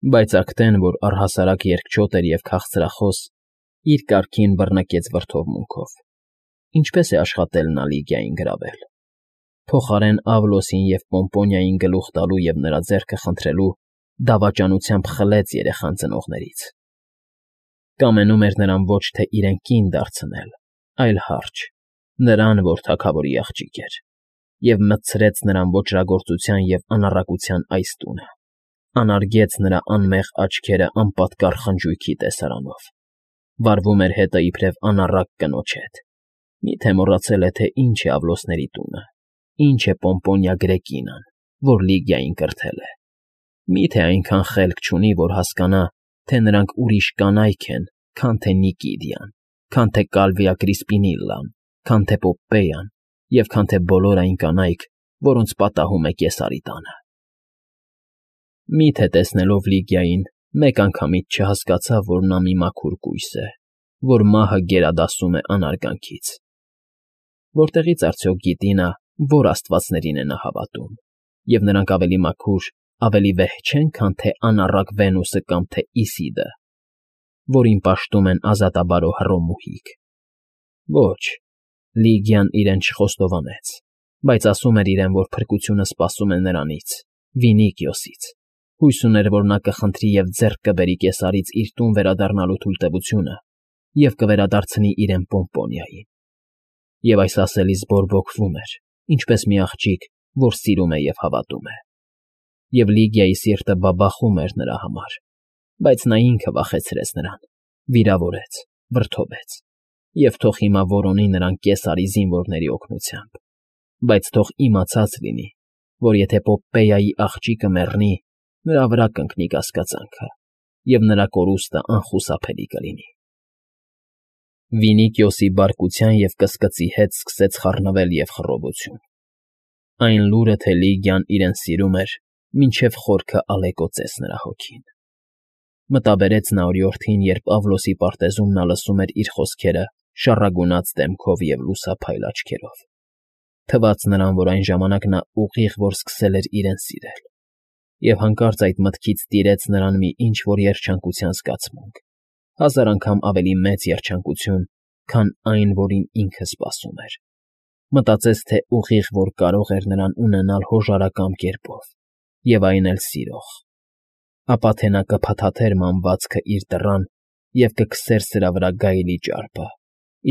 Բայց ակտեն, որ առհասարակ երկչոտ էր և քաղցրախոս, իր կարգին բռնկեց վրդովմունքով. ինչպե՞ս է աշխատել նա Լիգիային գրավել. փոխարեն Ավլոսին և Պոմպոնիային գլուխ տալու և նրա ձեռքը խնդրելու, դավաճանությամբ խլեց երեխան ծնողներից. կամենում էր նրան ոչ թե իրեն կին դարձնել, այլ հարճ, նրան, որ թագավորի աղջիկ էր, և մտցրեց նրան ոճրագործության և անառակության այս տունը, անարգեց նրա անմեղ աչքերը անպատկառ խնջույքի տեսարանով, վարվում էր հետը իբրև անառակ կնոջ հետ. միթե մոռացել է, թե ինչ է Ավլոսների տունը, ինչ է Պոմպոնիա Գրեկինան, որ Լիգիային կրթել է, միթե այնքան խելք չունի, որ հասկանա, թե նրանք ուրիշ կանայք են, քան թե Նիկիդիան, քան թե Կալվիա Կրիսպինիլլան, քան թե Պոպպեյան և քան թե բոլոր այն կանայք, որոնց պատահում է Կեսարի տանը։ Միթե տեսնելով Լիգիային, մեկ անգամից չհասկացավ, որ նա մի մաքուր կույս է, որ մահը գերադասում է անարգանքից։ Որտեղի՞ց արդյոք գիտի նա, որ աստվածներին է նա հավատում, և նրանք ավելի մաքուր, ավելի վեհ չեն, քան թե անառակ Վենուսը կամ թե Իսիդը, որին պաշտում են ազատաբարո Հռոմուհիք։ Ոչ, Լիգիան իրեն չխոստովանեց, բայց ասում էր իրեն, որ փրկությունը սպասում է նրանից, Վինիկիոսից, հույս ուներ, որ նա կխնդրի և ձեռք կբերի Կեսարից իր տուն վերադառնալու թույլտվությունը և կվերադարձնի իրեն Պոմպոնիային։ Եվ այս ասելիս բորբոքվում էր, ինչպես մի աղջիկ, որ սիրում է և հավատում է։ Եվ Լիգիայի սիրտը բաբախում էր նրա համար, բայց նա ինքը վախեցրեց նրան, վիրավորեց, վրդովեց, և թող հիմա որոնի նրան Կեսարի զինվորների օգնությամբ, բայց թող իմացած լինի, որ եթե Պոպպեյայի աղջիկը մեռնի, նրա վրա կընկնի կասկածանքը, և նրա կորուստը անխուսափելի կլինի։ Վինիկիոսի բարկության և կսկծի հետ սկսեց խառնվել և խռովություն։ Այն լուրը, թե Լիգիան իրեն սիրում էր, մինչև խորքը ալեկոծեց նրա հոգին։ Մտաբերեց նա օրիորդին, երբ Ավլոսի պարտեզում նա լսում էր իր խոսքերը շառագունած դեմքով և լուսափայլ աչքերով։ Թվաց նրան, որ այն ժամանակ նա ուղիղ որ սկսել էր իրեն սիրել, և հանկարծ այդ մտքից տիրեց նրան մի ինչ֊որ երջանկության զգացմունք, հազար անգամ ավելի մեծ երջանկություն, քան այն, որին ինքը սպասում էր։ Մտածեց, թե ուղիղ որ կարող էր նրան ունենալ հոժարակամ կերպով, և այն էլ սիրող, ապա թե նա կփաթաթեր մանվածքը իր դռան և կքսեր սրա վրա գայլի ճարպը,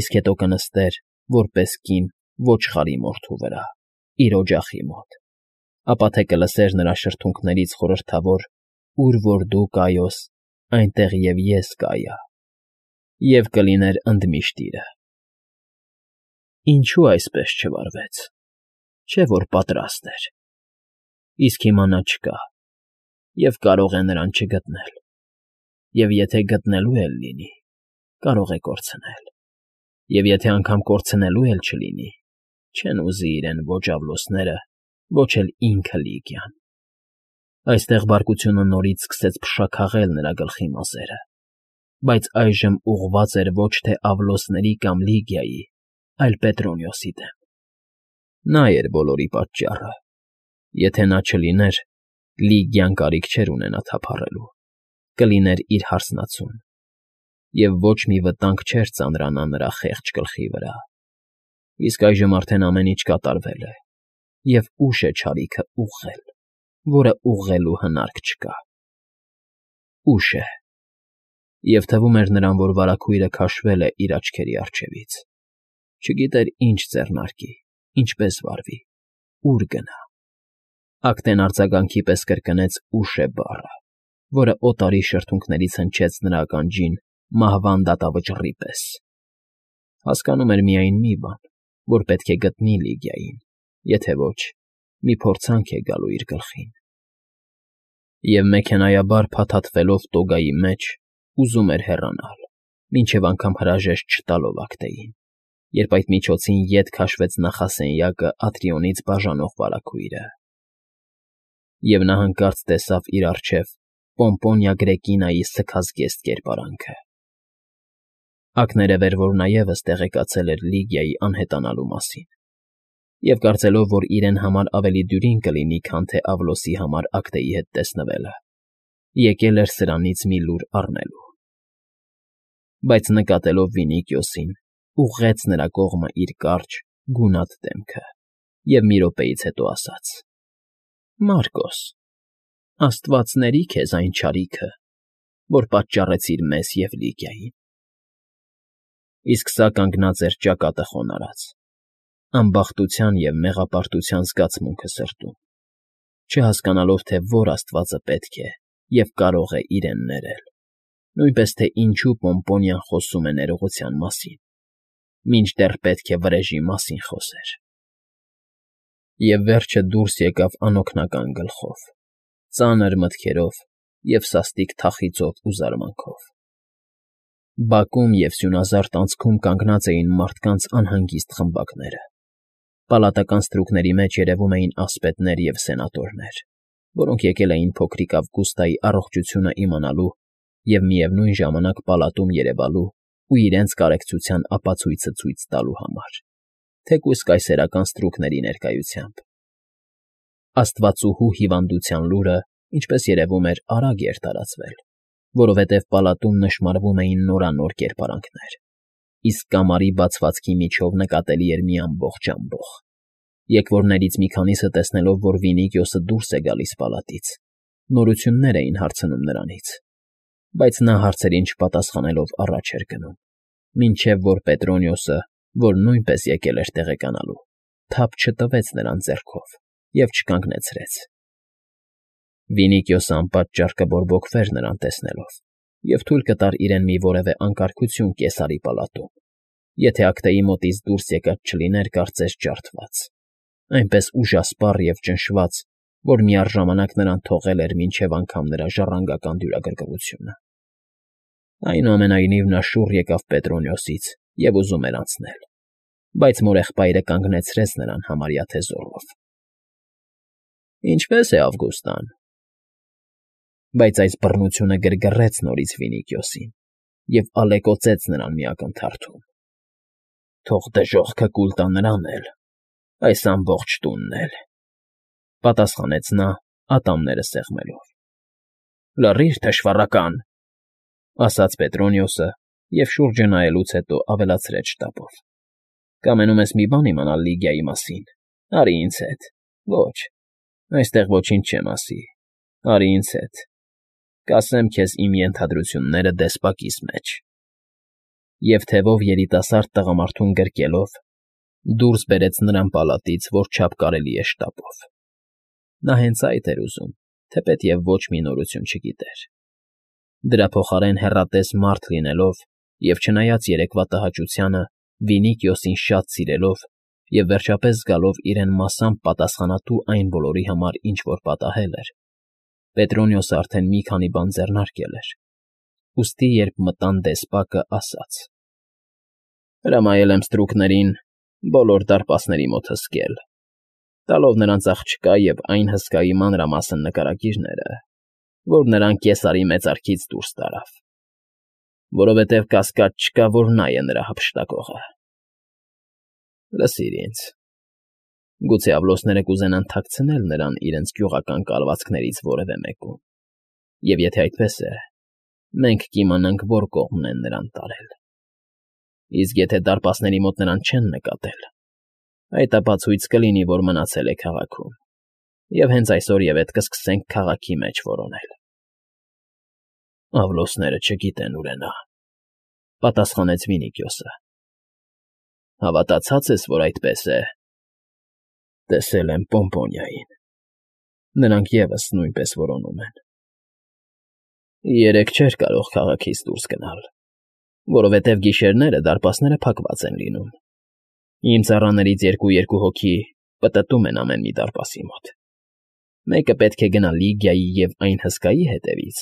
իսկ հետո կնստեր, որպես կին, ոչխարի մորթու վրա, իր օջախի մոտ, ապա թե կլսեր նրա շրթունքներից խորհրդավոր «Ուր որ դու, Կայոս, այնտեղ և ես կայա», և կլիներ ընդմիշտիրը։ Ինչո՞ւ այսպես չվարվեց, չէ՞ որ պատրաստ էր։ Իսկ հիմա նա չկա, և կարող է նրան չգտնել, և եթե գտնելու էլ լինի, կարող է կորցնել, և եթե անգամ կորցնելու էլ չլինի, չեն ուզի իրեն ոչ Ավլոսները, ոչ էլ ինքը Լիգիան։ Այստեղ բարկությունը նորից սկսեց փշաքաղել նրա գլխի մազերը, բայց այժմ ուղղված էր ոչ թե Ավլոսների կամ Լիգիայի, այլ Պետրոնիոսի դեմ։ Նա էր բոլորի պատճառը։ Եթե նա չլիներ, Լիգիան կարիք չէր ունենա թափառելու, կլիներ իր հարսնացուն, և ոչ մի վտանգ չէր ծանրանա նրա խեղճ գլխի վրա։ Իսկ այժմ արդեն ամեն ինչ կատարվել է, և ուշ է չարիքը ուղղել, որը ուղղելու հնարք չկա։ Ուշ է։ Եվ թվում էր նրան, որ վարագույրը քաշվել է իր աչքերի առջևից։ Չգիտեր ինչ ձեռնարկի, ինչպես վարվի, ուր գնա։ Ակտեն արձագանքի պես կրկնեց «ուշ է» բառը, որը օտարի շրթունքներից հնչեց նրա ականջին մահվան դատավճռի պես։ Հասկանում էր միայն մի բան, որ պետք է գտնի Լիգիային, եթե ոչ, մի փորձանք է գալու իր գլխին։ Եվ մեքենայաբար փաթաթվելով տոգայի մեջ, ուզում էր հեռանալ, մինչև անգամ հրաժեշտ չտալով ակտեին, երբ այդ միջոցին ետ քաշվեց նախասենյակը Ատրիոնից բաժանող վարագույրը։ Եվ նա հանկարծ տեսավ իր առջև Պոմպոնիա Գրեկինայի սգազգեստ կերպարանքը։ Ակներև էր, որ նա ևս տեղեկացել էր Լիգիայի անհետանալու մասին, և կարծելով, որ իրեն համար ավելի դյուրին կլինի, քան թե Ավլոսի համար ակտեի հետ տեսնվելը, եկել էր սրանից մի լուր առնելու։ Բայց նկատելով Վինիքիոսին, ուղղեց նրա կողմը իր կարճ, գունատ դեմքը և մի րոպեից հետո ասաց. «Մարկոս, աստվածների քեզ այն չարիքը, որ պատճառեցիր մեզ և Լիգիային»։ Իսկ սա կանգնած էր ճակատը խոնարհած, անբախտության և մեղապարտության զգացմունքը սրտում, չհասկանալով, թե որ աստվածը պետք է և կարող է իրեն ներել, նույնպես թե ինչու Պոմպոնիան խոսում է ներողության մասին, մինչդեռ պետք է վրեժի մասին խոսեր։ Եվ վերջը դուրս եկավ անօգնական գլխով, ծանր մտքերով և սաստիկ թախիծով ու զարմանքով։ Բակում և սյունազարդ անցքում կանգնած էին մարդկանց անհանգիստ խմբակները։ Պալատական ստրուկների մեջ երևում էին ասպետներ և սենատորներ, որոնք եկել էին փոքրիկ Ավգուստայի առողջությունը իմանալու և միևնույն ժամանակ պալատում երևալու ու իրենց կարեկցության ապացույցը ցույց տալու համար, թեկուզ կայսերական ստրուկների ներկայությամբ։ Աստվածուհու հիվանդության լուրը, ինչպես երևում էր, արագ էր տարածվել, որովհետև պալատում նշմարվում էին նորանոր կերպարանքներ, իսկ կամարի բացվածքի միջով նկատելի էր մի ամբողջ ամբոխ։ Եկվորներից մի քանիսը տեսնելով, որ Վինիքիոսը դուրս է գալիս պալատից, նորություններ էին հարցնում նրանից, բայց նա հարցերին չպատասխանելով առաջ էր գնում, մինչև որ Պետրոնիոսը, որ նույնպես եկել էր տեղեկանալու, թափ չտվեց նրան ձեռքով և չկանգնեցրեց։ Վինիքիոսը անպատճառ կբորբոքվեր նրան տեսնելով և թույլ կտար իրեն մի որևէ անկարգություն կեսարի պալատում, եթե ակտեի մոտից դուրս եկած չլիներ կարծես ջարդված, այնպես ուժասպառ և ճնշված, որ միառժամանակ նրան թողել էր մինչև անգամ նրա ժառանգական դյուրագրգռությունը։ Այնուամենայնիվ նա շուռ եկավ Պետրոնիոսից և ուզում էր անցնել, բայց մորեղբայրը կանգնեցրեց նրան համարյա թե զոռով։ ֊ Ինչպե՞ս է Ավգուստան։ Բայց այս բռնությունը գրգռեց նորից Վինիքիոսին և ալեկոծեց նրան մի ակնթարթում։ ֊ Թող դժոխքը կուլ տա նրան էլ, այս ամբողջ տունն էլ,֊ պատասխանեց նա՝ ատամները սեղմելով։ ֊ Լռի՛ր, թշվառական,֊ ասաց Պետրոնիոսը և շուրջը նայելուց հետո ավելացրեց շտապով,֊ Կամենում ես մի բան իմանալ Լիգիայի մասին, արի ինձ հետ։ Ոչ, այստեղ ոչինչ չեմ ասի, արի ինձ հետ, կասեմ քեզ իմ ենթադրությունները դեսպակիս մեջ։ Եվ թևով երիտասարդ տղամարդուն գրկելով՝ դուրս բերեց նրան պալատից, որչափ կարելի է շտապով։ Նա հենց այդ էր ուզում, թեպետև ոչ մի նորություն չգիտեր։ Դրա փոխարեն հեռատես մարդ լինելով և չնայած երեկվա տհաճությանը Վինիքիոսին շատ սիրելով և վերջապես զգալով իրեն մասամբ պատասխանատու այն բոլորի համար, ինչ որ պատահել էր, Պետրոնիոսը արդեն մի քանի բան ձեռնարկել էր, ուստի երբ մտան դեսպակը, ասաց. «Հրամայել եմ ստրուկներին բոլոր դարպասների մոտ հսկել, տալով նրանց աղջկա և այն հսկայի մանրամասն նկարագիրները, որ նրան Կեսարի մեծարքից դուրս տարավ, որովհետև կասկած չկա, որ նա է նրա հափշտակողը։ Լսիր ինձ. գուցե աղբլոսները կուզենան թաքցնել նրան իրենց գյուղական կալվածքներից որևէ մեկում, և եթե այդպես է, մենք կիմանանք որ կողմն են նրան տարել։ Իսկ եթե դարպասների մոտ նրան չեն նկատել, այդ ապա ցույց կլինի, որ մնացել է քաղաքում, և հենց այսօրևեթ կսկսենք քաղաքի մեջ որոնել»։ «Աղբլոսները չգիտեն ուր է նա,֊ պատասխանեց Վինիքիոսը։ ֊ Հավատացած ես, որ այդպես է։ ֊ Տեսել եմ Պոմպոնիային, նրանք ևս նույնպես որոնում են։ Երեկ չէր կարող քաղաքից դուրս գնալ, որովհետև գիշերները դարպասները փակված են լինում։ Իմ ծառաներից երկու հոգի պտտում են ամեն մի դարպասի մոտ. մեկը պետք է գնա Լիգիայի և այն հսկայի հետևից,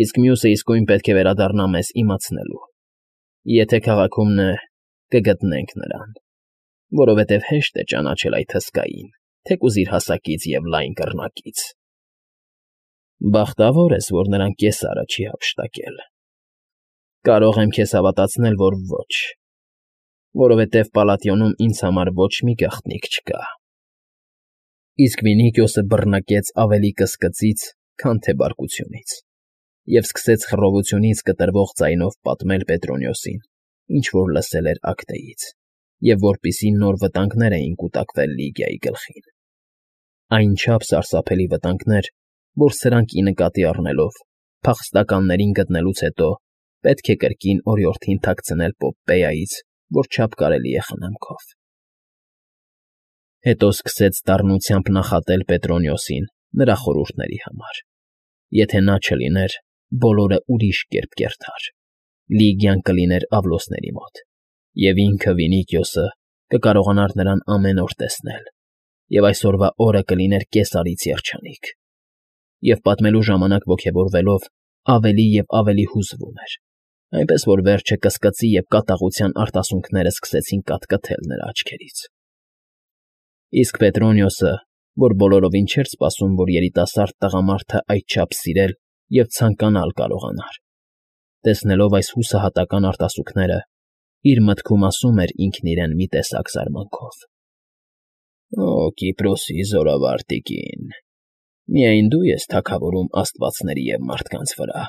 իսկ մյուսը իսկույն պետք է վերադառնա մեզ իմացնելու։ Եթե քաղաքումն է, կգտնենք նրան, որովհետև հեշտ է ճանաչել այդ հսկային, թեկուզ իր հասակից և լայն կռնակից։ Բախտավոր ես, որ նրան Կեսարը չի հափշտակել։ Կարող եմ քեզ հավատացնել, որ ոչ, որովհետև Պալատիոնում ինձ համար ոչ մի գաղտնիք չկա։ Իսկ Վինիքիոսը բռնակեց ավելի կսկծից, քան թե բարկությունից։ և սկսեց խռովությունից կտրվող ձայնով պատմել Պետրոնիոսին, ինչ որ լսել էր աքթեից, և որպիսի նոր վտանգներ էին կուտակվել Լիգիայի գլխին. այնչափ սարսափելի վտանգներ, որ սրանք ի նկատի առնելով, փախստականներին գտնելուց հետո պետք է կրկին օրիորդին թաքցնել Պոմպեայից, որչափ կարելի է խնամքով։ Հետո սկսեց դառնությամբ նախատել Պետրոնիոսին նրա խորհուրդների համար. եթե նա չլիներ, բոլորը ուրիշ կերպ կերթար, Լիգիան կլիներ Ավլոսների մոտ, և ինքը Վինիքիոսը կկարողանար նրան ամեն օր տեսնել, և այսօրվա օրը կլիներ կեսարից երջանիկ։ Եվ պատմելու ժամանակ ոգևորվելով ավելի և ավելի հուզվում էր, այնպես որ վերջը կսկծի և կատաղության արտասուքները սկսեցին կաթկթել նրա աչքերից։ Իսկ Պետրոնիոսը, որ բոլորովին չէր սպասում, որ երիտասարդ տղամարդը այդչափ սիրել և ցանկանալ կարողանար, տեսնելով այս հուսահատական արտասուքները, իր մտքում ասում էր ինքն իրեն մի տեսակ զարմանքով. «Օ, Կիպրոսի զորավար տիկին, միայն դու ես թագավորում աստվածների և մարդկանց վրա»։